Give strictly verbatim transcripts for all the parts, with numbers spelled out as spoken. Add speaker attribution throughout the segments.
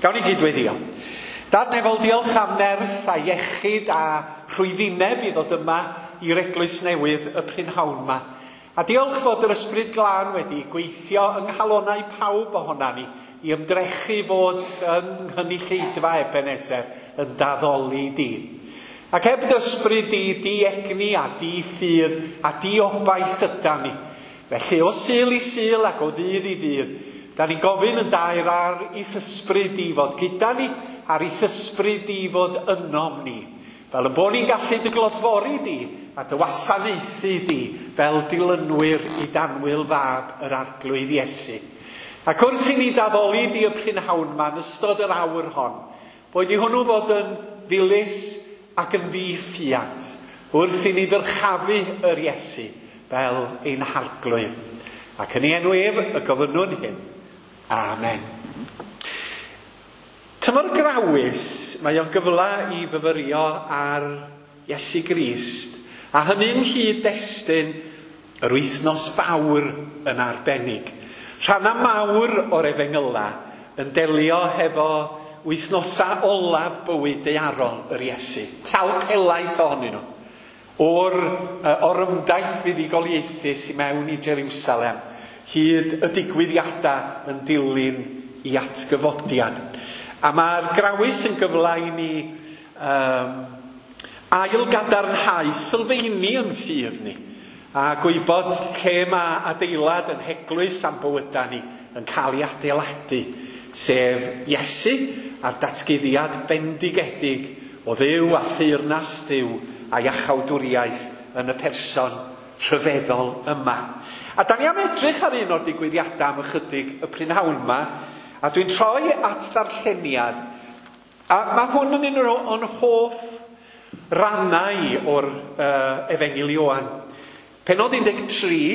Speaker 1: Gawn ni gydweddio. Dad nefol, diolch am nerth a iechyd a rhwyddineb i ddod yma i'r eglwys newydd y prynhawn yma. A diolch fod yr Ysbryd Glân wedi gweithio yng nghalonnau pawb ohona ni i ymdrechu fod yng nghynulleidfa Ebenezer yn daddoli di. Ac heb dy ysbryd di, di egni a di ffydd a di obaith yda ni. Felly o Sul i Sul ac o ddydd i ddydd, da ni'n gofyn yn daer ar i'th ysbryd di fod gyda ni, ar i'th ysbryd di fod ynom ni. Fel y bod ni'n gallu dy glodfori di a dy wasanaethu di fel dilynwyr i danwyl fab yr Arglwydd Iesu. Ac wrth i ni daddoli di y prynhawn yma yn ystod yr awr hon, boed i hwnnw fod yn ddilys ac yn ddiffiant wrth i ni ddyrchafu yr Iesu fel ein Harglwydd. Ac yn ei enw ef y gofynnwn hyn. Amen. Tymor Grawys, mae o'n gyfle i fyfyrio ar Iesu Grist, a hynny'n nghyd-destun yr wythnos fawr yn arbennig. Rhanna mawr o'r efengyla yn delio hefo wythnosa olaf bywyd daearol yr Iesu. Talp helaeth ohonyn nhw. O'r uh, orymdaith fuddugoliaethus i mewn i Jerusalem, hyd y digwyddiadau yn dilyn i atgyfodiad. A mae'r Grawys yn gyfle i ni um, ail-gadarnhau sylfaeni yn ffydd ni, a gwybod lle mae adeilad yn heglwys am bywydau ni yn cael ei adeiladu, sef Iesu a'r datguddiad bendigedig o Dduw a theyrnas Duw a iachawdwriaeth yn y person rhyfeddol yma. A da ni am edrych ar un o'r digwyddiadau am ychydig y prynhawn yma, a dwi'n troi at ddarlleniad, a mae hwn yn un o'n hoff rannau o'r uh, Efengyl Ioan. Pennod un deg tri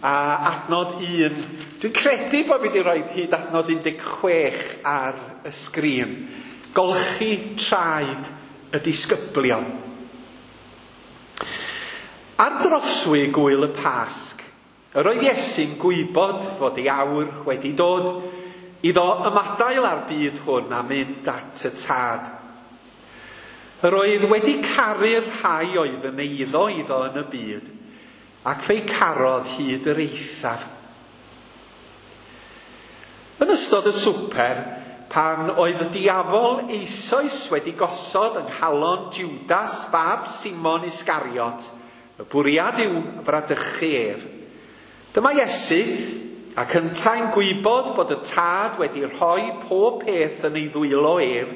Speaker 1: a adnod un. Dwi'n credu bod fi wedi rhoi hyd adnod un deg chwech ar y sgrin. Golchi traed y disgyblion. Ar drothwy gwyl y Pasg, yr oedd Iesu'n gwybod fod ei awr wedi dod iddo ymadael â'r byd hwn a mynd at y Tad. Yr oedd wedi caru'r rhai oedd yn eiddo iddo yn y byd, ac fe'i carodd hyd yr eithaf. Yn ystod y swper, pan oedd y diafol eisoes wedi gosod yng nghalon Judas fab Simon Iscariot, y bwriad yw fradychu ef. Dyma Iesu, ac yntau'n gwybod bod y Tad wedi rhoi pob peth yn ei ddwylo ef,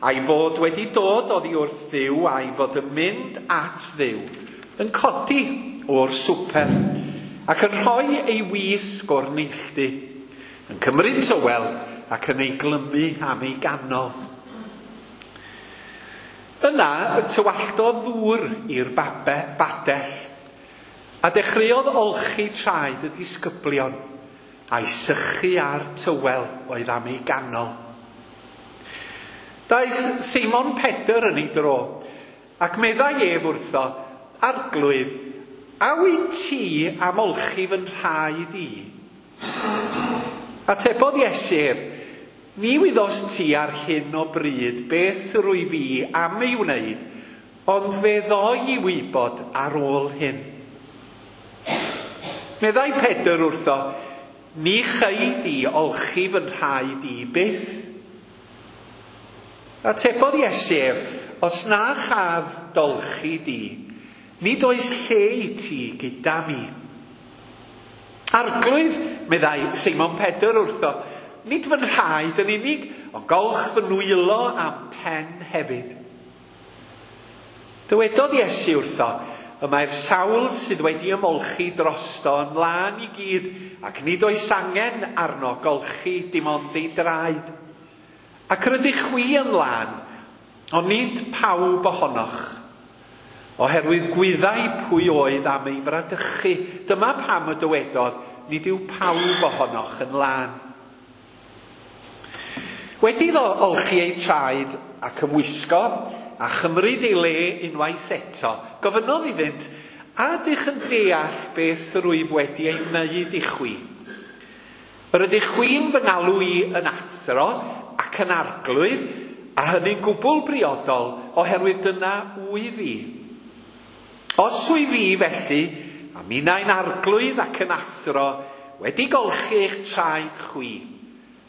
Speaker 1: a'i fod wedi dod oddi wrth Dduw, a'i fod yn mynd at Dduw, yn codi o'r swper, ac yn rhoi ei wisg o'r neilltu, yn cymryd tywel ac yn ei glymu am ei ganol. Yna y tywalltodd ddŵr i'r babe, badell, a dechreuodd olchi traed y disgyblion, a'i sychu ar tywel oedd am ei ganol. Daeth Simon Pedr yn ei dro, ac meddai ef wrtho, Arglwydd, a wyt ti am olchi fy nhraed i? Atebodd Iesu ef, ni wyddost ti ar hyn o bryd beth rwy fi am ei wneud, ond fe ddoi i wybod ar ôl hyn. Meddai Pedr wrtho, ni chei di olchi fy nhraed i byth. Atebodd Iesu ef, os na chaf dolchi di, nid oes lle i ti gyda mi. Arglwydd, meddai Simon Pedr wrtho, nid fy nhraed yn unig, ond golch fy nwylo a'm pen hefyd. Dywedodd Iesu wrtho, y mae'r sawl sydd wedi ymolchi drosto yn lân i gyd, ac nid oes angen arno golchi dim ond ei draed. Ac rydych chwi yn lân, ond nid pawb ohonoch. Oherwydd gwyddai pwy oedd am ei fradychu. Dyma pam y dywedodd, nid yw pawb ohonoch yn lân. Wedi iddo olchi ei traed ac ymwisgo a chymryd ei le unwaith eto, gofynnodd iddynt, a ydych yn deall beth rwyf wedi ei wneud i chwi? Yr ydych chwi'n fy ngalw i yn athro ac ac yn arglwydd, a hynny'n gwbl briodol, oherwydd dyna wyf fi. Os wyf fi felly, a minnau'n arglwydd ac yn athro, wedi golchi eich traed chwi,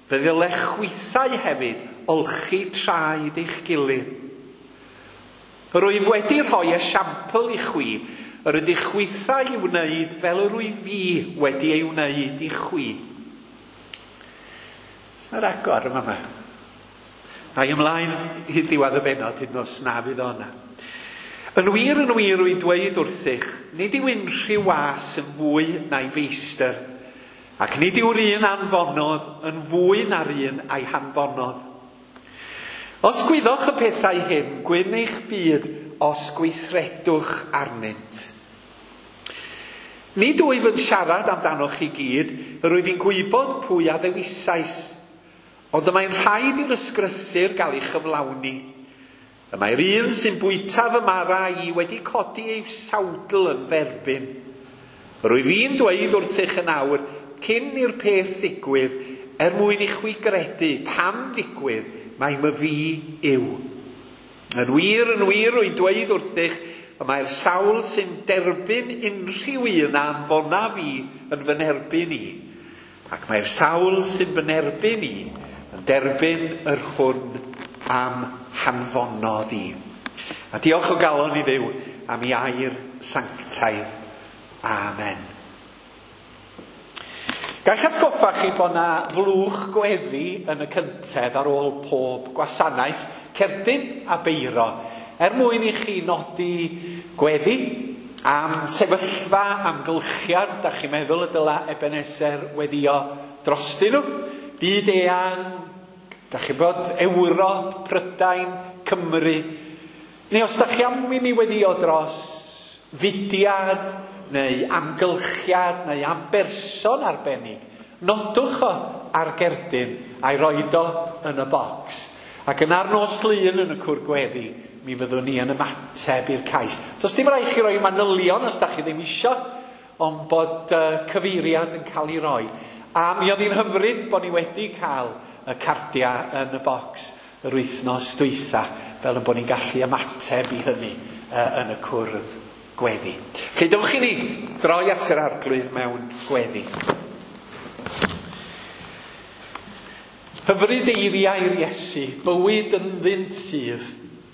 Speaker 1: fe ddylech chwithau hefyd olchi traed eich gilydd. Rwyf wedi rhoi esiampl i chwi, yr ydych chwithau i wneud fel yr wyf fi wedi ei wneud i chwi. Oes 'na ragor yma yma? A i ymlaen i ddiwedd y bennod, hyd nos na fydd o yna. Yn wir, yn wir, rwy'n dweud wrthych, nid yw unrhyw was yn fwy na'i feistr, ac nid yw'r un anfonodd yn fwy na'r un a'i hanfonodd. Os gwyddoch y pethau hyn, gwyn eich byd os gweithredwch arnynt. Nid wyf yn siarad amdanoch chi gyd, yr wyf i'n gwybod pwy a ddewisais, ond y mae'n rhaid i'r ysgrythur gael ei chyflawni. Y mae'r un sy'n bwyta fy mara i wedi codi ei sawdl yn f'erbyn. Rwyf i'n dweud wrthych yn awr, cyn i'r peth ddigwydd, er mwyn i chwi gredu pan ddigwydd, mai myfi yw. Yn wir, yn wir, rwy'n dweud wrthych, y mae'r sawl sy'n derbyn unrhyw un a anfona fi yn fy nerbyn i. Ac mae'r sawl sy'n fy nerbyn i yn derbyn yr hwn am hanfonodd i. A diolch o galon i Dduw am ei air sanctaidd. Amen. Gallwch atgoffa chi bod na flwch gweddi yn y cyntedd ar ôl pob gwasanaeth, cerdyn a beiro, er mwyn i chi nodi gweddi am sefyllfa, amgylchiad, da chi'n meddwl y dyla Ebenezer weddio drostyn nhw, byd eang, da chi'n bod Ewrop, Prydain, Cymru, neu os da chi am i ni weddio dros fudiad, neu amgylchiad, neu am berson arbennig, nodwch o ar gerdyn a'i roed o yn y bocs. Ac yna'r nos Lun yn y cwr gweddi, mi fyddwn ni yn ymateb i'r cais. Does dim rhaid chi roi manylion os da chi ddim isio, ond bod uh, cyfeiriad yn cael ei roi. A mi oedd hi'n hyfryd bod ni wedi cael y cardiau yn y bocs yr wythnos dwytha, fel yn bod ni'n gallu ymateb i hynny uh, yn y cwrdd gweddi. Felly dewch i ni droi at yr Arglwydd mewn gweddi. Hyfryd eiriau'r Iesu, bywyd ynddynt sydd,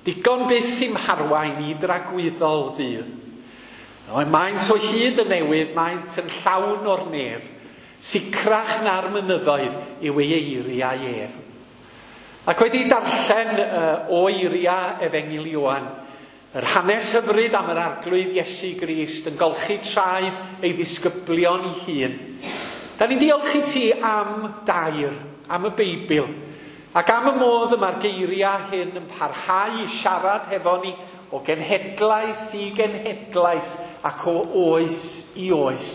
Speaker 1: digon byth i'm harwain i dragwyddol ddydd. Maent o hyd yn newydd, maent yn llawn o'r nef, sicrach na'r mynyddoedd yw ei eiriau ef. Ac wedi darllen uh, o eiriau Efengyl Ioan, yr hanes hyfryd am yr Arglwydd Iesu Grist yn golchi traed ei ddisgyblion ei hun. Da ni'n diolch i ti am dair, am y Beibl, ac am y modd y mae'r geiriau hyn yn parhau i siarad hefo ni o genhedlaeth i genhedlaeth ac o oes i oes.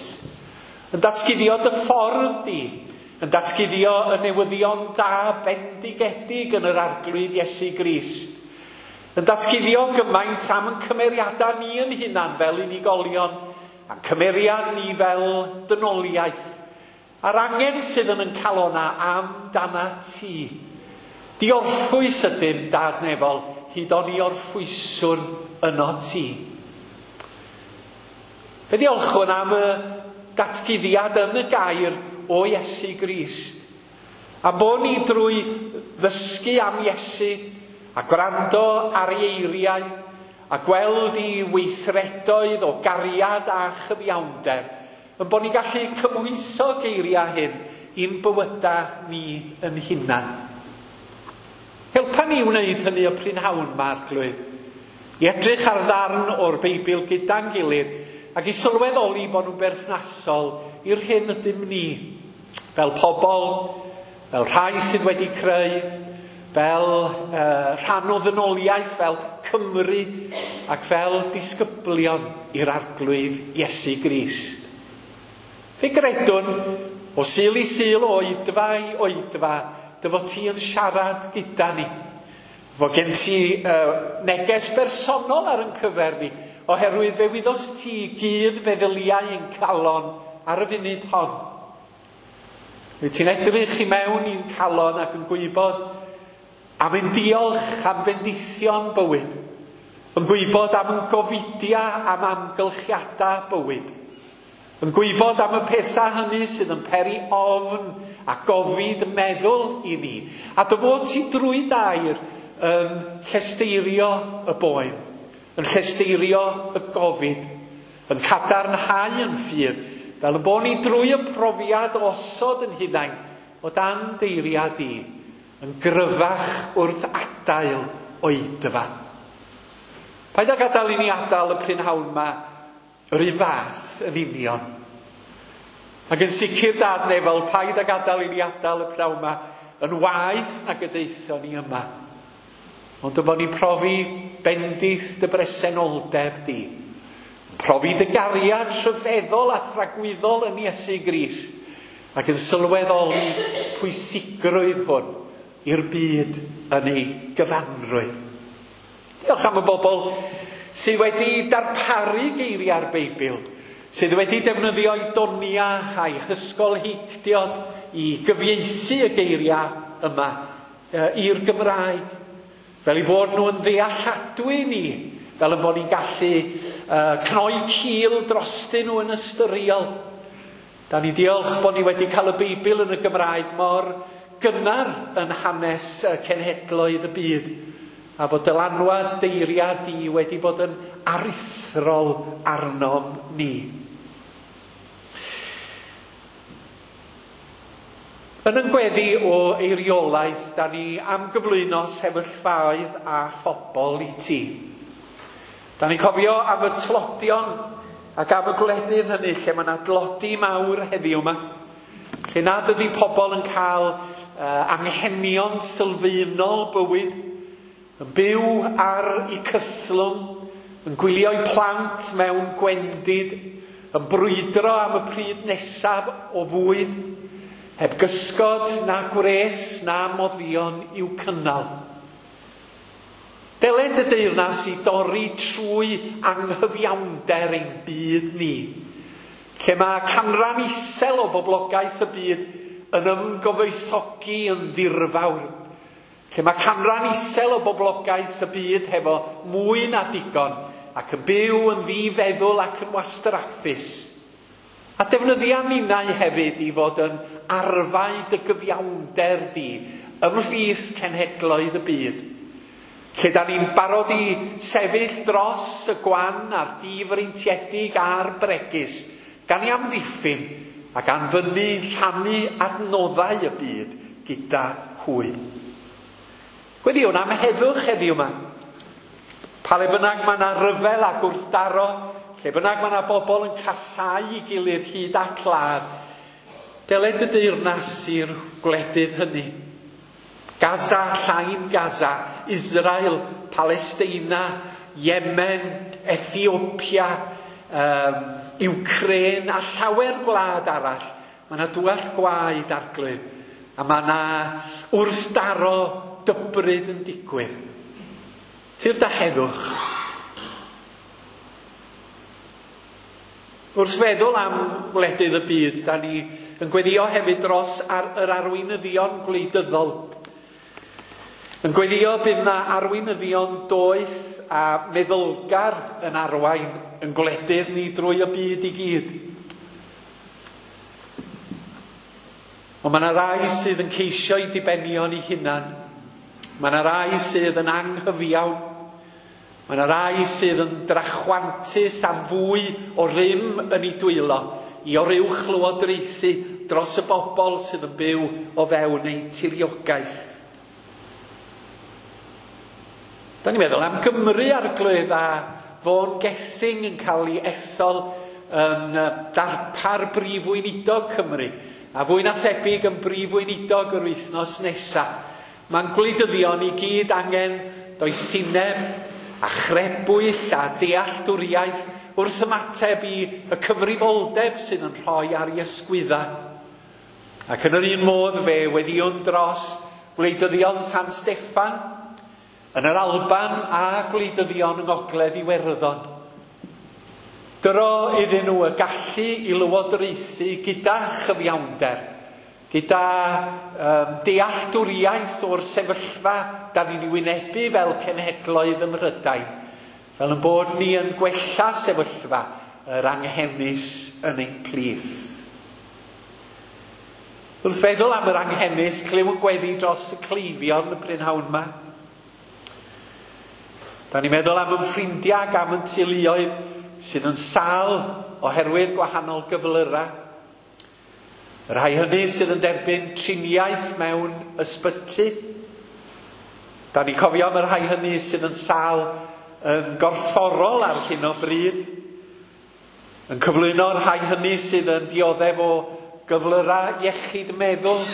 Speaker 1: Yn datguddio dy ffordd di, yn datguddio y newyddion da bendigedig yn yr Arglwydd Iesu Grist. Yn datguddio gymaint am yn cymeriadau ni yn hunan fel unigolion, a'n cymeriad ni fel dynoliaeth, a'r angen sydd yn yn calona am dana ti. Diorffwys ydym, Dad nefol, hyd o'n i orffwyswn yno ti. Fe ddiolchwn am y datguddiad yn y gair o Iesu Grist. A bod ni drwy ddysgu am Iesu, a gwrando ar ei eiriau, a gweld ei weithredoedd o gariad a chyfiawnder, yn bod ni'n gallu cymhwyso geiriau hyn i'n bywydau ni yn hunan. Helpa ni wneud hynny y prynhawn ma, Arglwydd, i edrych ar ddarn o'r Beibl gyda'n gilydd ac i sylweddoli bod nhw'n berthnasol i'r hyn ydym ni, fel pobl, fel rhai sydd wedi creu, fel uh, rhan o ddynoliaeth, fel Cymru ac fel disgyblion i'r Arglwydd Iesu Grist. Fe gredwn, o Sul i Sul, o oedfa i oedfa, dy fod ti yn siarad gyda ni. Fod gen ti uh, neges bersonol ar yn cyfer ni, oherwydd fe wyddost ti gyd feddyliau ein calon ar y funud hon. Wyt ti'n edrych i mewn i'n calon ac yn gwybod Am ein diolch am fendithion bywyd, yn gwybod am ein gofidiau am amgylchiadau bywyd, yn gwybod am y pethau hynny sydd yn peri ofn a gofid meddwl i ni, a dy fod ti drwy dair yn llesteirio y boen, yn llesteirio y gofid, yn cadarnhau yn ffydd, fel yn bod ni drwy y profiad o osod yn hunain o dan deiriad i, yn gryfach wrth adael oedfa. Paid â gadael i ni adael y prynhawn yma yr un fath yn union. Ac yn sicr Dad nefol, paid â gadael i ni adael y prynhawn yma yn waeth nag y daethon ni yma. Ond y bod ni'n profi bendith dy bresenoldeb di. Profi dy gariad rhyfeddol a thragwyddol yn Iesu Grist. Ac yn sylweddoli pwysigrwydd hwn i'r byd yn ei gyfanrwydd. Diolch am y bobl sydd wedi darparu geiriau'r Beibl, sydd wedi defnyddio eu doniau a'i hysgolheictiod i gyfieithu y geiriau yma i'r Gymraeg, fel eu bod nhw yn ddealladwy ni, fel y bod ni'n gallu uh, cnoi cil drostyn nhw yn ystyriol. Da ni diolch bod ni wedi cael y Beibl yn y Gymraeg mor gynnar yn hanes cenhedloedd y byd, a fod dylanwad deiriad di wedi bod yn aruthrol arnom ni. Yn yn gweddi o eiriolaeth, da ni am gyflwyno sefyllfaoedd a phobl i ti. Da ni'n cofio am y tlodion ac am y gwledydd hynny lle mae yna dlodi mawr heddiw yma, lle nad ydy pobl yn cael uh, anghenion sylfaenol bywyd, yn byw ar eu cythlwng, yn gwylio eu plant mewn gwendid, yn brwydro am y pryd nesaf o fwyd, heb gysgod na gwres na moddion i'w cynnal. Deled y deyrnas i dorri trwy anghyfiawnder ein byd ni, lle mae canran isel o boblogaeth y byd yn ymgyfoethogi yn ddirfawr, lle mae canran isel o boblogaeth y byd hefo mwy na digon ac yn byw yn ddifeddwl ac yn wastraffus. A defnyddia ninnau hefyd i fod yn arfau dy gyfiawnder di ymhlith cenhedloedd y byd, lle da ni'n barod i sefyll dros y gwan a'r difreintiedig a'r bregus, gan i amddiffyn a gan fyny rhannu adnoddau y byd gyda hwy. Gweddiwn am heddwch heddiw yma. Pa le bynnag mae yna ryfel a gwrthdaro, lle bynnag mae yna bobl yn casáu ei gilydd hyd at ladd, deled y deyrnas i'r gwledydd hynny. Gaza, Llain Gaza, Israel, Palesteina, Yemen, Ethiopia, um, Ukraine a llawer gwlad arall. Mae yna dwell gwaed Arglwydd, a mae yna wrthdaro dybryd yn digwydd. Tyrd a heddwch. Wrth feddwl am wledydd y byd, da ni yn gweddio hefyd dros ar yr arweinyddion gwleidyddol. Yn gweddio bydd na arweinyddion doeth a meddylgar yn arwain yn gwledydd ni drwy y byd i gyd. Ond mae yna rai sydd yn ceisio eu dibenion eu hunan. Mae yna rai sydd yn anghyfiawn. Mae yna rai sydd yn drachwantus am fwy o rym yn ei dwylo i oruwch lywodraethu dros y bobl sydd yn byw o fewn eu tiriogaeth. Da ni'n meddwl am Gymru Arglwydd a Vaughan Gething yn cael ei ethol yn darpar brif weinidog Cymru, a fwy na thebyg yn brif weinidog yr wythnos nesaf. Mae'n gwleidyddion i gyd angen doethineb a chrebwyll a dealltwriaeth wrth ymateb i y cyfrifoldeb sydd yn rhoi ar ei ysgwydda. Ac yn yr un modd fe weddïwn dros gwleidyddion San Steffan yn yr Alban a gwleidyddion yng Ngogledd Iwerddon. Dyro iddyn nhw y gallu i lywodraethu gyda chyfiawnder, gyda um, dealltwriaeth o'r sefyllfa da ni'n ei wynebu fel cenhedloedd ym Mhrydain, fel yn bod ni yn gwella sefyllfa yr anghenus yn ein plith. Wrth feddwl am yr anghenus, clyw yn gweddi dros y cleifion y prynhawn yma. Da ni'n meddwl am yn ffrindiau ac am yn teuluoedd sydd yn sâl oherwydd gwahanol gyflyrau. Y rhai hynny sydd yn derbyn triniaeth mewn ysbyty. Da ni'n cofio am y rhai hynny sydd yn sâl yn gorfforol ar hyn o bryd. Yn cyflwyno'r rhai hynny sydd yn dioddef o gyflyrau iechyd meddwl,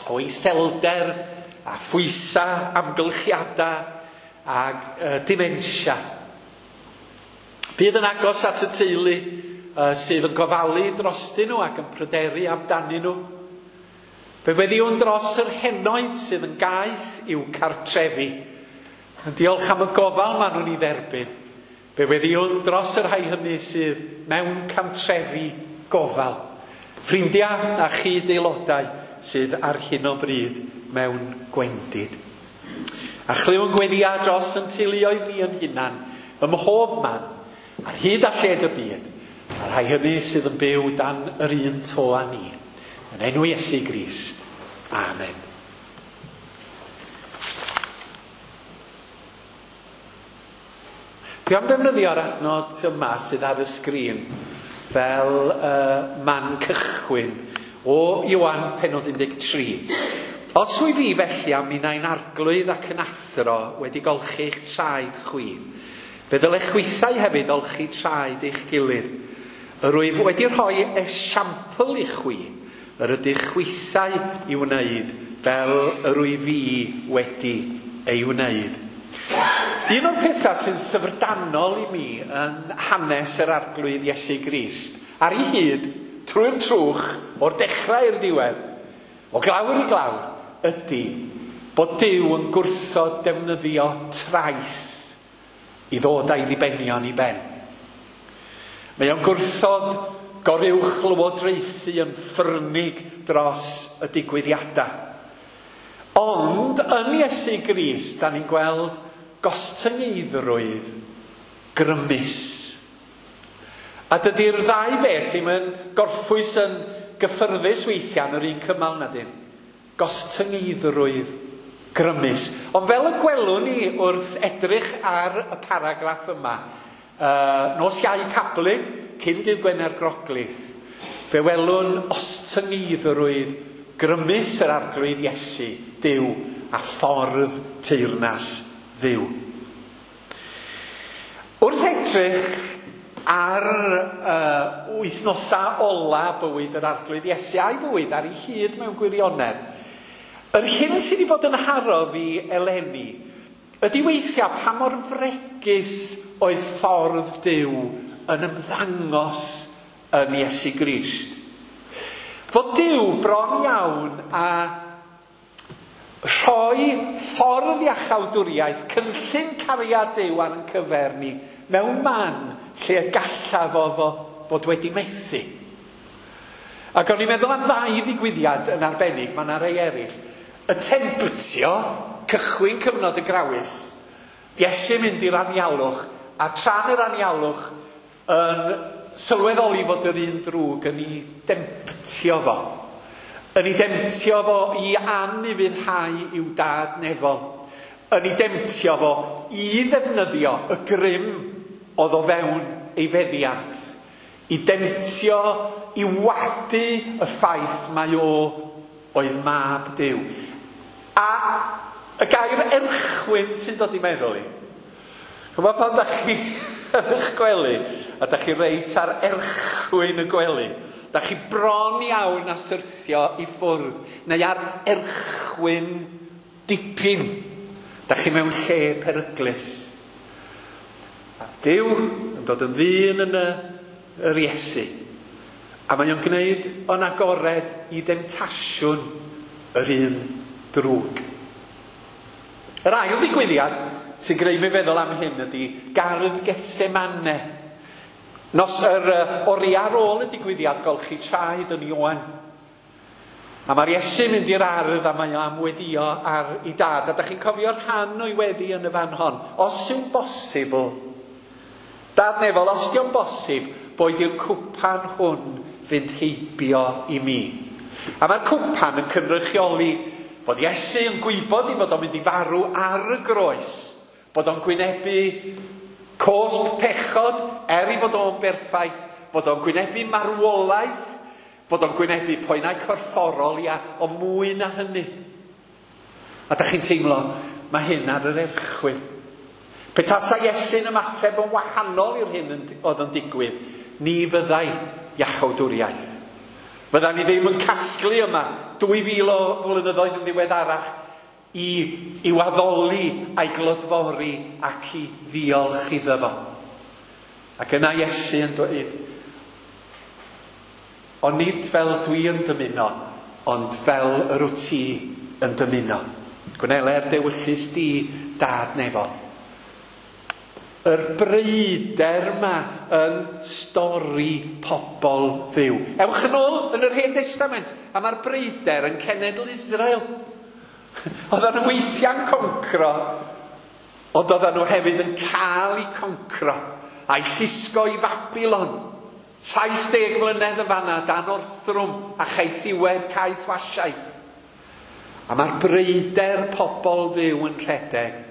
Speaker 1: o iselder a phwysau amgylchiadau ag uh, dementia. Bydd yn agos at y teulu uh, sydd yn gofalu drostyn nhw ac yn pryderu amdanyn nhw. Fe weddiwn dros yr henoed sydd yn gaeth i'w cartrefi. Yn diolch am y gofal maen nhw'n ei dderbyn. Fe weddiwn dros yr rhai hynny sydd mewn cantrefi gofal. Ffrindiau a chyd-aelodau sydd ar hyn o bryd mewn gwendid. A chlywn gweddia dros yn teuluoedd ni yn hunan, ym mhob man, ar hyd a lled y byd, a rhai hynny sydd yn byw dan yr un to â ni. Yn enw Iesu Grist. Amen. Dwi am defnyddio'r adnod yma sydd ar y sgrin fel uh, man cychwyn o Ioan pennod un deg tri. Os wyf fi felly am minnau'n arglwydd ac yn athro wedi golchi eich traed chwi, fe ddylech chwithau hefyd olchi traed eich gilydd. Yr wyf wedi rhoi esiampl i chwi, yr ydych chwithau i wneud fel yr wyf fi wedi ei wneud. Un o'r pethau sy'n syfrdanol i mi yn hanes yr arglwydd Iesu Grist, ar ei hyd, trwy'r trwch, o'r dechrau i'r diwedd, o glawr i glawr, ydy bod Duw yn gwrthod defnyddio trais i ddod â'i ddibenion i ben. Mae o'n gwrthod goruwch lywodraethu yn ffyrnig dros y digwyddiadau. Ond yn Iesu Grist, da ni'n gweld gostyngeiddrwydd grymus. A dydy'r ddau beth ddim yn gorffwys yn gyffyrddus weithiau yn yr un cymal na dim. Gostyngeiddrwydd grymus. Ond fel y gwelwn ni wrth edrych ar y paragraff yma, uh, nos Iau Cablig, cyn dydd Gwener Groglith, fe welwn ostyngeiddrwydd grymus yr arglwydd Iesu, Duw, a ffordd teyrnas Dduw. Wrth edrych ar uh, wythnosau ola bywyd yr arglwydd Iesu a'i fywyd ar ei hyd mewn gwirionedd, yr hyn sydd wedi bod yn haro fi eleni ydy weithiau pa mor fregus oedd ffordd Duw yn ymddangos yn Iesu Grist. Fod Duw bron iawn a rhoi ffordd iachawdwriaeth, cynllun cariad Duw ar ein cyfer ni, mewn man lle y gallaf o fo fod wedi methu. Ac o'n i'n meddwl am ddau ddigwyddiad yn arbennig, mae yna rei eraill. Y temptio, cychwyn cyfnod y grawys, Iesu mynd i'r anialwch, a tra'n yr anialwch yn sylweddoli fod yr un drwg yn ei demtio fo. Yn ei demtio fo i anufuddhau i'w dad nefol. Yn ei demtio fo i ddefnyddio y grym oedd o fewn ei feddiant. I demtio, i wadu y ffaith mai o oedd mab Duw. A y gair erchwyn sy'n dod i meddwl i. Ch'mod pan dach chi yn eich gwely, a dach chi reit ar erchwyn y gwely, dach chi bron iawn a syrthio i ffwrdd, neu ar erchwyn dipyn. Dach chi mewn lle peryglus. A Duw yn dod yn ddyn yn y, yr Iesu. A mae o'n gwneud o'n agored i demtasiwn yr un drwg. Yr ail ddigwyddiad sy'n gwneud mi feddwl am hyn ydy gardd Gethsemane. Nos yr uh, oriau ar ôl y digwyddiad golchi traed yn Ioan. A mae'r Iesu'n mynd i'r ardd a mae o am weddio ar ei dad. A da chi'n cofio rhan o'i weddi yn y fan hon. Os yw'n bosibl, Dad nefol, os yw'n bosib, boed i'r cwpan hwn fynd heibio i mi. A mae'r cwpan yn cynrychioli fod Iesu yn gwybod i fod o'n mynd i farw ar y groes, bod o'n gwynebu cosb pechod er i fod o'n berffaith, fod o'n gwynebu marwolaeth, fod o'n gwynebu poenau corfforol, ia, o mwy na hynny. A da chi'n teimlo, mae hyn ar yr erchwyn. Petasa Iesu'n ymateb yn wahanol i'r hyn oedd yn digwydd, ni fyddai iachawdwriaeth. Fydda ni ddim yn casglu yma dwy fil o flynyddoedd yn ddiweddarach i, i'w addoli a'i glodfori ac i ddiolch iddo fo. Ac yna Iesu yn dweud, ond nid fel dwi yn dymuno, ond fel yr wyt ti yn dymuno. Gwneler dewyllys di, Dad nefol. Yr breuder yma yn stori pobl Dduw. Ewch yn ôl yn yr Hen Testament, a mae'r breuder yn cenedl Israel. Oedden nhw weithiau'n concro, ond oedden nhw hefyd yn cael eu concro, a'i llusgo i Fabilon. Saith deg mlynedd yn fanna, dan orthrwm a chaethiwed caethwasiaeth. A mae'r breuder pobl Dduw yn rhedeg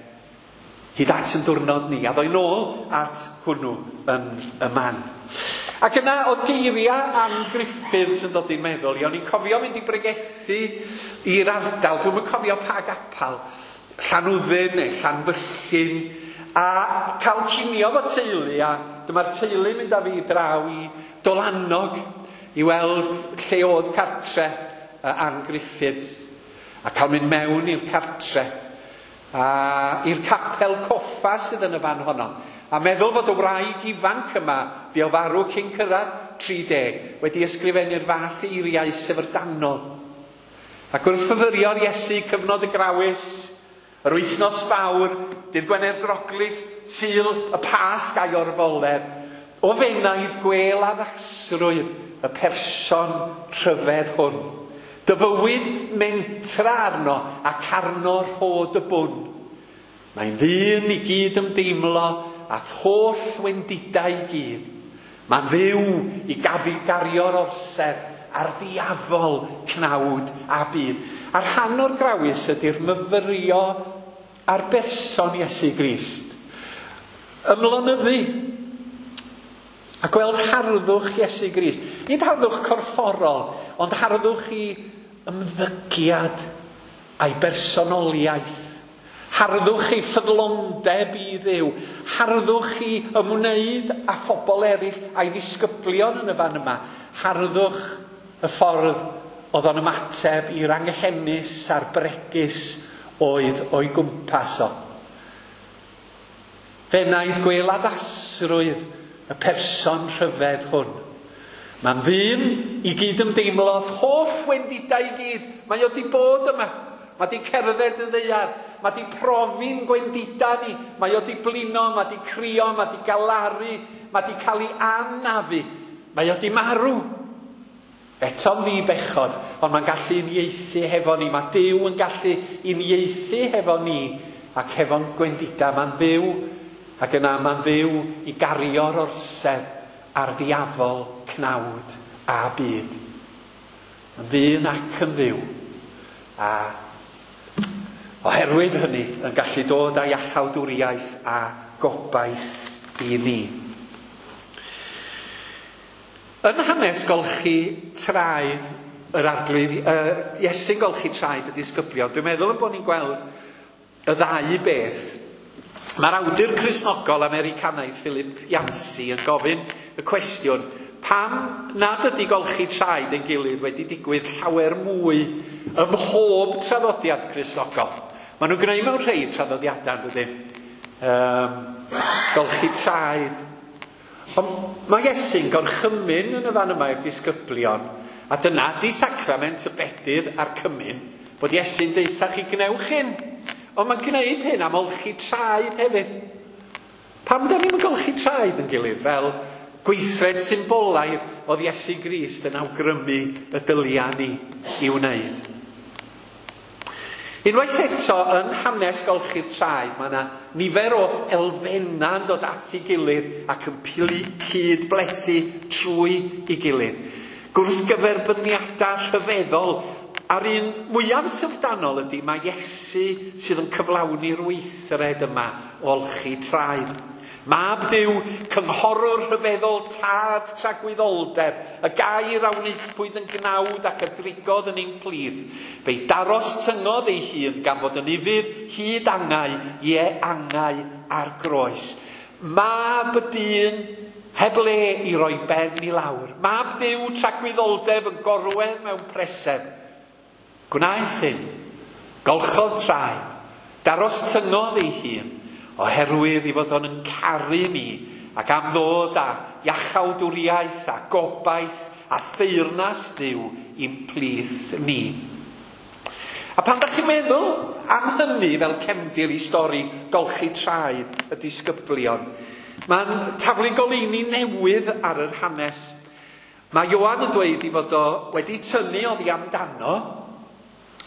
Speaker 1: hyd at yn diwrnod ni, a ddoi nôl at hwnnw yn y man. Ac yna oedd geiriau Ann Griffiths yn dod i'n meddwl i. O'n i'n cofio mynd i bregethu i'r ardal, dwi'm yn cofio pa gapal, Llanwddyn neu Llanfyllin, a cael cinio fo teulu, a dyma'r teulu mynd â fi draw i Dolanog i weld lle oedd cartre Ann Griffiths, a cael mynd mewn i'r cartre, a i'r capel coffa sydd yn y fan honno. A meddwl fod y wraig ifanc yma, fi o farw cyn cyrraedd tri deg, wedi ysgrifennu'r fath eiriau syfrdanol. Ac wrth fyfyrio'r Iesu cyfnod y grawys, yr wythnos fawr, dydd Gwener Groglith, Sul y Pasg a'i orfoledd, o fenaid gwel addasrwydd y person rhyfedd hwn. Dy fywyd mentra arno ac arno rhod y bwn. Mae'n ddyn i gyd ymdeimlo a holl wendidau i gyd. Mae'n ddiw i gafu gario'r orsedd a'r ddiafol cnawd a byd. A rhan o'r grawys ydy'r myfyrio ar berson Iesu Grist. Ymlonyddu a gweld harddwch Iesu Grist. Nid harddwch corfforol, ond harddwch i ymddygiad a'i bersonoliaeth. Harddwch ei ffyddlondeb i Dduw. Harddwch i ymwneud â phobl eraill a'i ddisgyblion yn y fan yma. Harddwch y ffordd oedd o'n ymateb i'r anghenus a'r bregus oedd o'i gwmpas o. Fenaid gwel addasrwydd y person rhyfedd hwn. Mae'n ddyn i gyd ymdeimlodd hoff wendidau i gyd. Mae o di bod yma. Mae di cerdded y ddaear. Mae di profi'n gwendida ni. Mae o di blino, mae di crio, mae di galaru, mae di cael ei anafu. Mae o di marw. Eto'n ddi bechod, ond mae'n gallu uniaethu hefo ni. Mae Duw yn gallu uniaethu hefo ni ac hefo'n gwendida. Mae'n Dduw, ac yna mae'n Dduw i gario'r orsedd a'r ddiafol cnawd a byd. Yn ddyn ac yn ddiw. A oherwydd hynny yn gallu dod â iachawdwriaeth a gobaith i ni. Yn hanes golchi traed yr arglwydd, uh, Iesu'n golchi traed y disgyblion, dwi'n meddwl bod ni'n gweld y ddau beth. Mae'r awdur Cristnogol Americanaidd Philip Yancey yn gofyn y cwestiwn, pam nad ydy golchi traed ein gilydd wedi digwydd llawer mwy ym mhob traddodiad Cristnogol? Maen nhw'n gwneud mewn rhai traddodiadau, yn dydyn? Um, golchi traed. Ond mae Iesu'n gorchymyn yn y fan yma i'r disgyblion, a dyna di sacrament y bedydd a'r cymyn, bod Iesu'n deutha chi gnewch hyn. Ond mae'n gwneud hyn am olchi traed hefyd. Pam da ni'n golchi traed yn gilydd fel Gweithred symbolaidd oedd Iesu Grist yn awgrymu y dylia ni i wneud. Unwaith eto, yn hanes golchi'r traed, mae yna nifer o elfennau'n dod at ei gilydd ac yn cyd-blethu trwy ei gilydd. Gwrthgyferbyniadau rhyfeddol, a'r un mwyaf syfrdanol ydy mae Iesu sydd yn cyflawni'r weithred yma o olchi traed. Mab Duw, cynghorwr rhyfeddol, tad tragwyddoldeb, y gair a wnaethpwyd yn gnawd ac a drigodd yn ein plith. Fe'i daros tyngodd ei hun gan fod yn ufudd hyd angau, ie angau ar groes. Mab y dyn heb le i roi ben i lawr. Mab Duw tragwyddoldeb yn gorwedd mewn preseb. Gwnaeth hyn, golchodd traed, daros tyngodd ei hun, oherwydd i fod o'n yn caru ni ac am ddod â iachawdwriaeth a gobaith a theyrnas Duw i'n plith ni. A pan dach chi'n meddwl am hynny fel cefndir i stori golchi traed y disgyblion, mae'n taflu goleuni newydd ar yr hanes. Mae Ioan yn dweud i fod o wedi tynnu oddi amdano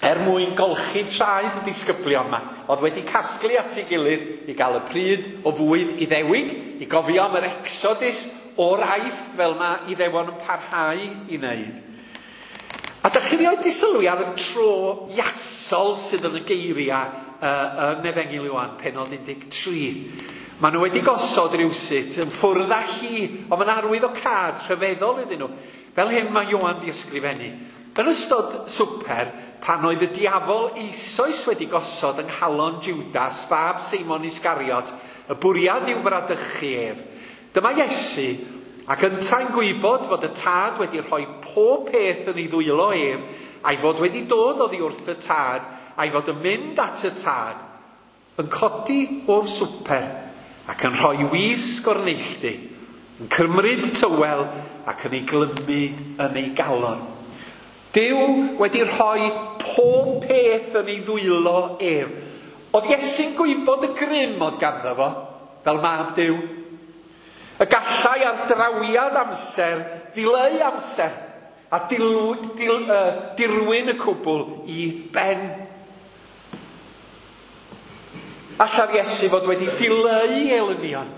Speaker 1: er mwyn golchi traed y disgyblion yma, oedd wedi casglu at ei gilydd i gael y pryd o fwyd Iddewig, i gofio am yr Exodus o'r Aifft fel mae Iddewon yn parhau i wneud. A dach chi rioed di sylwi ar y tro iasol sydd yn y geiriau uh, yn Efengyl Ioan, pennod un deg tri. Maen nhw wedi gosod rhywsut yn ffwrdd â hi, ond mae'n arwydd o cad rhyfeddol iddyn nhw. Fel hyn mae Ioan di ysgrifennu. Yn ystod swper, pan oedd y diafol eisoes wedi gosod yng nghalon Judas, fab Seimon Iscariot, y bwriad i'w fradychu ef. Dyma Iesu, ac yntau'n gwybod fod y tad wedi rhoi pob peth yn ei ddwylo ef, a'i fod wedi dod oddi wrth y tad, a'i fod yn mynd at y tad, yn codi o'r swper, ac yn rhoi wisg o'r neilltu, yn cymryd tywel ac yn ei glymu yn ei galon. Duw wedi rhoi pob peth yn ei ddwylo ef. Oedd Iesu'n gwybod y grym oedd ganddo fo, fel mab Duw. Y gallai ar drawiad amser ddileu amser a dilw, dil, uh, dirwyn y cwbl i ben. Alla'r Iesu fod wedi dileu elynion,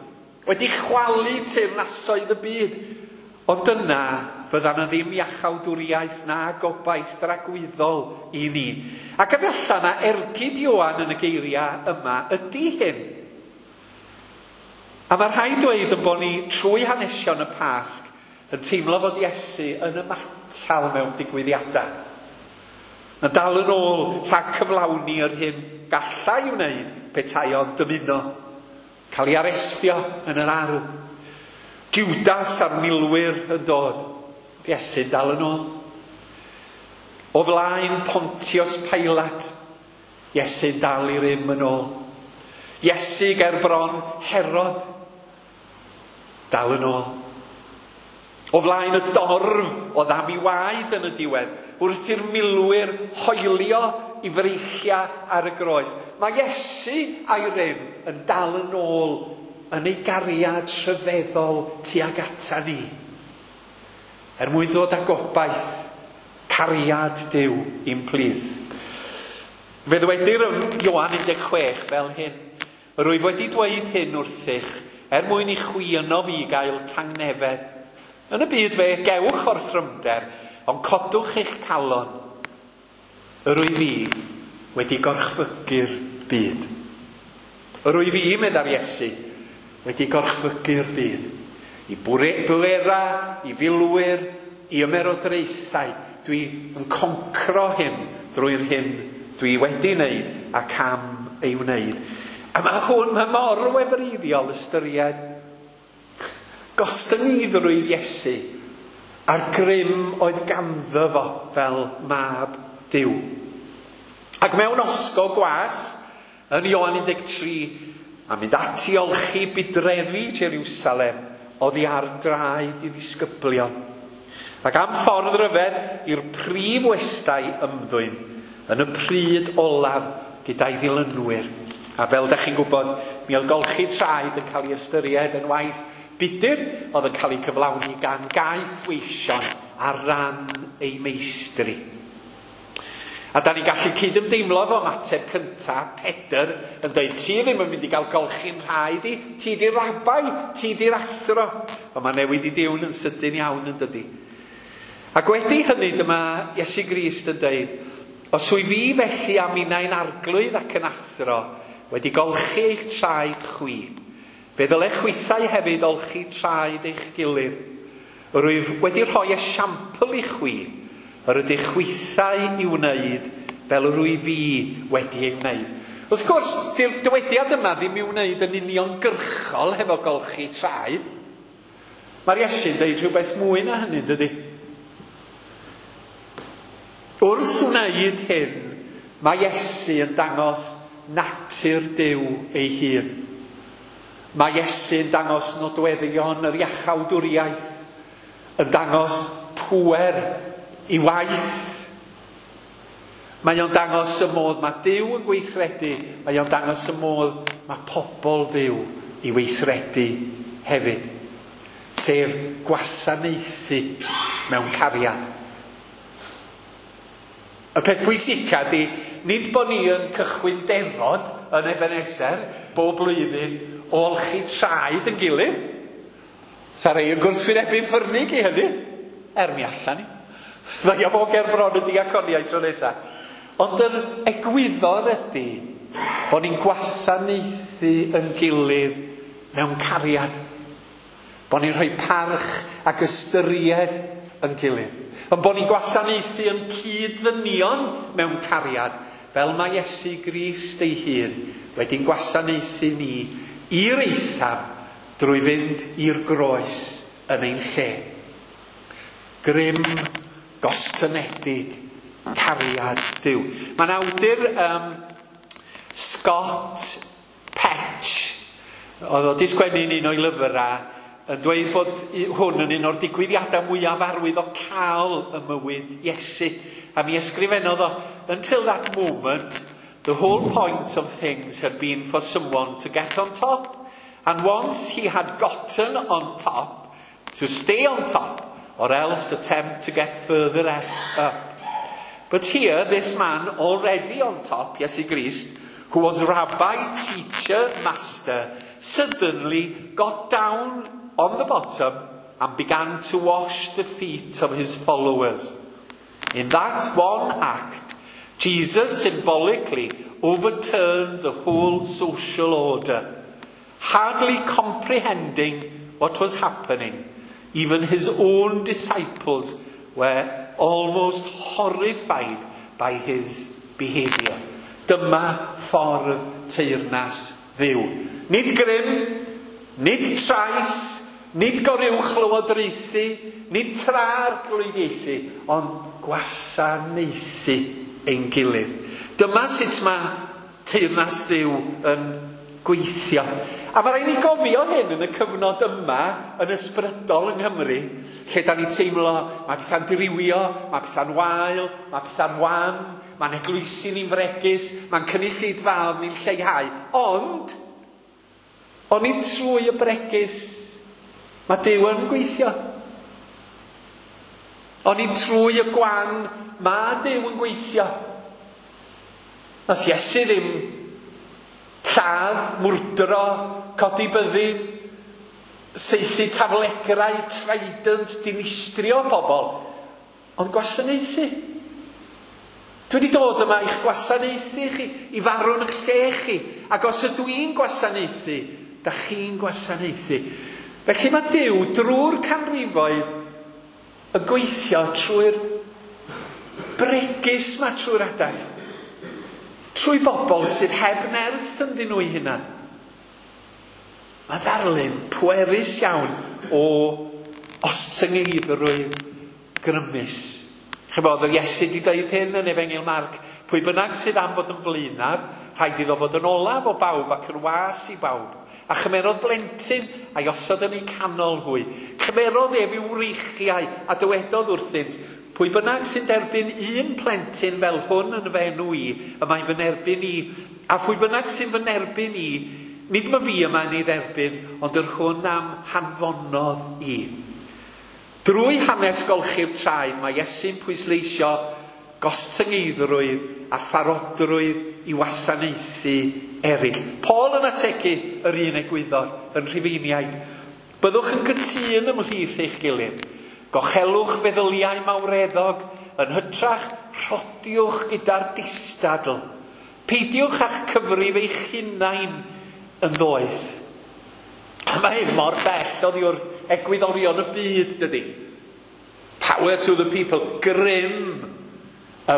Speaker 1: wedi chwalu teyrnasoedd y byd. Ond dyna fydda na ddim iachawdwriaeth na gobaith dragwyddol i ni. Ac efallai na ergyd Ioan yn y geiriau yma ydy hyn. A mae rhaid dweud yn bod ni trwy hanesion y Pasg yn teimlo fod Iesu yn ymatal mewn digwyddiadau. Yn dal yn ôl rhag cyflawni yr hyn gallai wneud petai o'n dymuno. Cael ei arestio yn yr ardd. Judas a'r milwyr yn dod. Iesu'n dal yn ôl. O flaen Pontius Pilate, Iesu'n dal i rym yn ôl. Iesu ger bron Herod, dal yn ôl. O flaen y dorf oedd am ei waed yn y diwedd, wrth i'r milwyr hoelio i freichiau ar y groes. Mae Iesu a'i rym yn dal yn ôl yn ei gariad rhyfeddol tuag ata ni. Er mwyn dod â gobaith, cariad Duw i'n plith. Fe ddwedir yn Ioan un deg chwech fel hyn. Rwyf wedi dweud hyn wrthych, er mwyn i chwi yno fi gael tangnefedd. Yn y byd fe gewch orthrymder, ond codwch eich calon. Yr wyf fi wedi gorchfygu'r byd. Yr wyf fi, meddai'r Iesu, wedi gorchfygu'r byd. I bwera, i filwyr, i ymerodraethau. Dwi yn concro hyn drwy'r hyn dwi wedi wneud ac am ei wneud. A mae hwn, mae mor wefreiddiol ystyried gostyngeiddrwydd Iesu a'r grym oedd ganddo fo fel mab Duw. Ac mewn osgo gwas, yn Ioan un deg tri, a mynd ati olchi budreddi Jerusalem, oddi ar draed i ddisgyblion. Ac am ffordd ryfedd i'r prif westai ymddwyn yn y pryd olaf gyda'i ddilynwyr. A fel dach chi'n gwybod, mi oedd golchi traed yn cael ei ystyried yn waith budr oedd yn cael ei cyflawni gan gaethweision ar ran ei meistri. A da ni'n gallu cydymdeimlo efo ymateb cyntaf Pedr yn dweud, ti ddim yn mynd i gael golchi'n rhaid i, ti di'r rabai, ti di'r athro. Ond mae newid i diwn yn sydyn iawn yn dydi. Ac wedi hynny dyma Iesu Grist yn dweud, os wyf fi felly a minnau'n arglwydd ac yn athro, wedi golchi eich traed chwi, fe ddylech chwithau hefyd olchi traed eich gilydd. Rwyf wedi rhoi esiampl i chwi, yr ydych chwithau i wneud fel yr wyf fi wedi ei wneud. Wrth gwrs, dy'r dywediad yma ddim i'w wneud yn uniongyrchol hefo golchi traed. Mae'r Iesu'n dweud rhywbeth mwy na hynny, dydy? Wrth wneud hyn, mae Iesu yn dangos natur Duw ei hun. Mae Iesu yn dangos nodweddion yr iachawdwriaeth, yn dangos pŵer i waith. Mae o'n dangos y modd mae Duw yn gweithredu, mae o'n dangos y modd mae pobl Dduw i weithredu hefyd. Sef gwasanaethu mewn cariad. Y peth pwysica di, nid bod ni yn cychwyn defod yn Ebenezer bob blwyddyn o olchi traed yn gilydd. Sa rei yn gwrthwynebu ffyrnig i hynny. Er mi allan ni. Ddaia fo ger bron y diaconiaid tro nesa. Ond yr egwyddor ydy bod ni'n gwasanaethu yn gilydd mewn cariad. Bod ni'n rhoi parch ac ystyried yn gilydd. Ond bod ni'n gwasanaethu yn cyd-ddynion mewn cariad, fel mae Iesu Grist ei hun wedi'n gwasanaethu ni i'r eithaf drwy fynd i'r groes yn ein lle. Grym gostynedig cariad Duw. Mae'n awdur um, Scott Petch, oedd o 'di sgwennu'n un o'i lyfrau, yn dweud bod hwn yn un o'r digwyddiadau mwyaf arwyddocaol ym mywyd Iesu. A mi ysgrifennodd o, until that moment, the whole point of things had been for someone to get on top. And once he had gotten on top, to stay on top, or else attempt to get further up. But here, this man already on top, Iesu Grist, who was rabbi, teacher, master, suddenly got down on the bottom and began to wash the feet of his followers. In that one act, Jesus symbolically overturned the whole social order, hardly comprehending what was happening. Even his own disciples were almost horrified by his behaviour. Dyma ffordd teyrnas Dduw. Nid grym, nid trais, nid goruwchlywodraethu, nid tra-arglwyddiaethu, ond gwasanaethu ein gilydd. Dyma sut mae teyrnas Dduw yn gweithio. A mae rhaid ni gofio hyn yn y cyfnod yma, yn ysbrydol yng Nghymru, lle da ni'n teimlo mae pethau'n dirywio, mae pethau'n wael, mae pethau'n wan, mae'n eglwysi ni'n fregus, mae'n cynulleidfaoedd ni'n lleihau. Ond, onid trwy y bregus, mae Duw yn gweithio. Onid trwy y gwan, mae Duw yn gweithio. Nath Iesu ddim lladd, mwrdro, codi byddin, saethu taflegrau, trident, dinistrio pobl, ond gwasanaethu. Dwi wedi dod yma i'ch gwasanaethu chi, i farw yn eich lle chi, ac os ydw i'n gwasanaethu, da chi'n gwasanaethu. Felly mae Duw drwy'r canrifoedd yn gweithio trwy'r bregus ma trwy'r adag. Trwy bobl sydd heb nerth ynddyn nhw eu hunan. Mae ddarlun pwerus iawn o ostyngeiddrwydd grymus. Chybod, yr Iesu wedi dweud hyn yn Efengyl Marc, pwy bynnag sydd am fod yn flaenaf, rhaid iddo fod yn olaf o bawb ac yn was i bawb. A chymerodd blentyn a'i osod yn eu canol hwy. Cymerodd ef i'w wreichiau a dywedodd wrthynt, pwy bynnag sy'n derbyn un plentyn fel hwn yn fy enw i, y mae'n fy nerbyn i. A phwy bynnag sy'n fy nerbyn i, nid ma fi yma yn ei dderbyn, ond yr hwn am hanfonodd i. Drwy hanes golchi'r traed, mae Iesu'n pwysleisio gostyngeiddrwydd a pharodrwydd i wasanaethu eraill. Paul yn ategu yr un egwyddor yn Rhufeiniaid. Byddwch yn gytûn ymhlith eich gilydd. Gochelwch feddyliau mawreddog, yn hytrach rhodiwch gyda'r distadl. Peidiwch â'ch cyfrif eich hunain yn ddoeth. A mae hyn mor bell oddi wrth egwyddorion y byd, dydy. Power to the people, grym,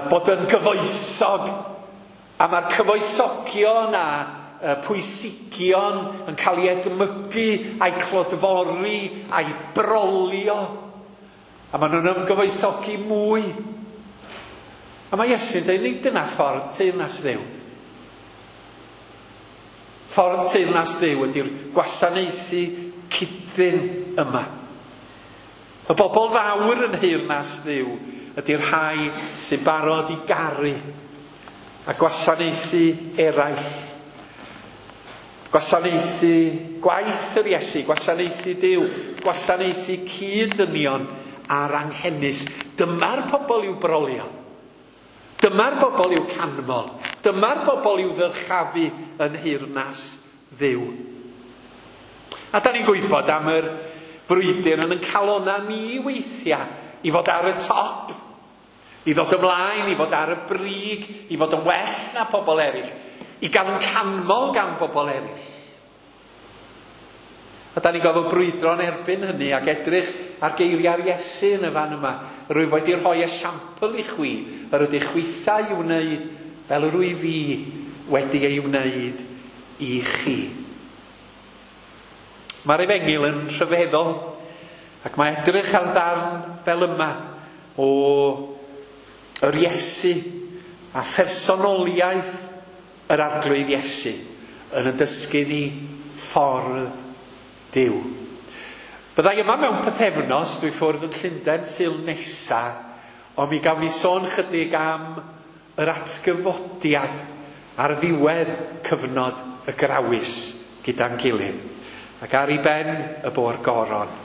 Speaker 1: bod yn gyfoethog. A mae'r cyfoethogion a pwysigion yn cael ei edmygu, a'i clodfori, a'i brolio. A maen nhw'n ymgyfoethogi mwy. A mae Iesu'n dweud, nid dyna ffordd teyrnas Dduw. Ffordd teyrnas Dduw ydy'r gwasanaethu cydyn yma. Y bobl fawr yn nheyrnas Dduw ydy'r rhai sy'n barod i garu a gwasanaethu eraill. Gwasanaethu gwaith yr Iesu, gwasanaethu Duw, gwasanaethu cyd-ddynion a'r anghenus. Dyma'r pobl i'w brolio. Dyma'r bobl i'w canmol. Dyma'r bobl i'w ddyrchafu yn nheyrnas Dduw. A da ni'n gwybod am yr frwydr yn ein calona ni weithiau i fod ar y top, i ddod ymlaen, i fod ar y brig, i fod yn well na pobl eraill, i gael yn canmol gan bobl eraill. A da ni'n gorfod brwydro yn erbyn hynny ac edrych ar geiriau'r Iesu yn y fan yma. Rwyf wedi rhoi esiampl i chwi, yr ydych chwithau i'w wneud fel yr wyf fi wedi ei wneud i chi. Mae'r efengyl yn rhyfeddol, ac mae edrych ar ddarn fel yma o yr Iesu a phersonoliaeth yr Arglwydd Iesu yn y dysgu ni ffordd Duw. Byddai yma mewn pythefnos, dwi ffwrdd yn Llundain Sul nesa, ond mi gawn ni sôn chydig am yr atgyfodiad ar ddiwedd cyfnod y grawys gyda'n gilydd. Ac ar ei ben y bo'r goron.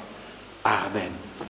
Speaker 1: Amen.